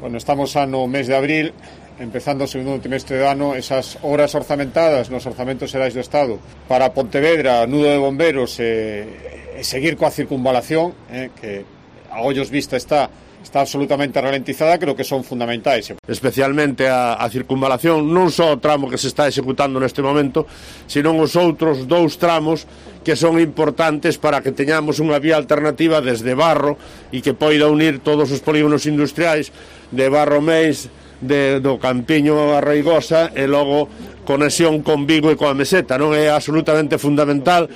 Bueno, estamos no mes de abril, empezando o segundo trimestre do ano, esas horas orzamentadas nos orzamentos xerais do Estado para Pontevedra, nudo de bomberos e seguir coa circunvalación, que a ollos vista está absolutamente ralentizada, creo que son fundamentais. Especialmente a circunvalación, non só o tramo que se está executando neste momento, senón os outros dous tramos que son importantes para que teñamos unha vía alternativa desde Barro e que poida unir todos os polígonos industriais de Barro Meis, do Campiño a Reigosa e logo conexión con Vigo e coa Meseta, non é absolutamente fundamental.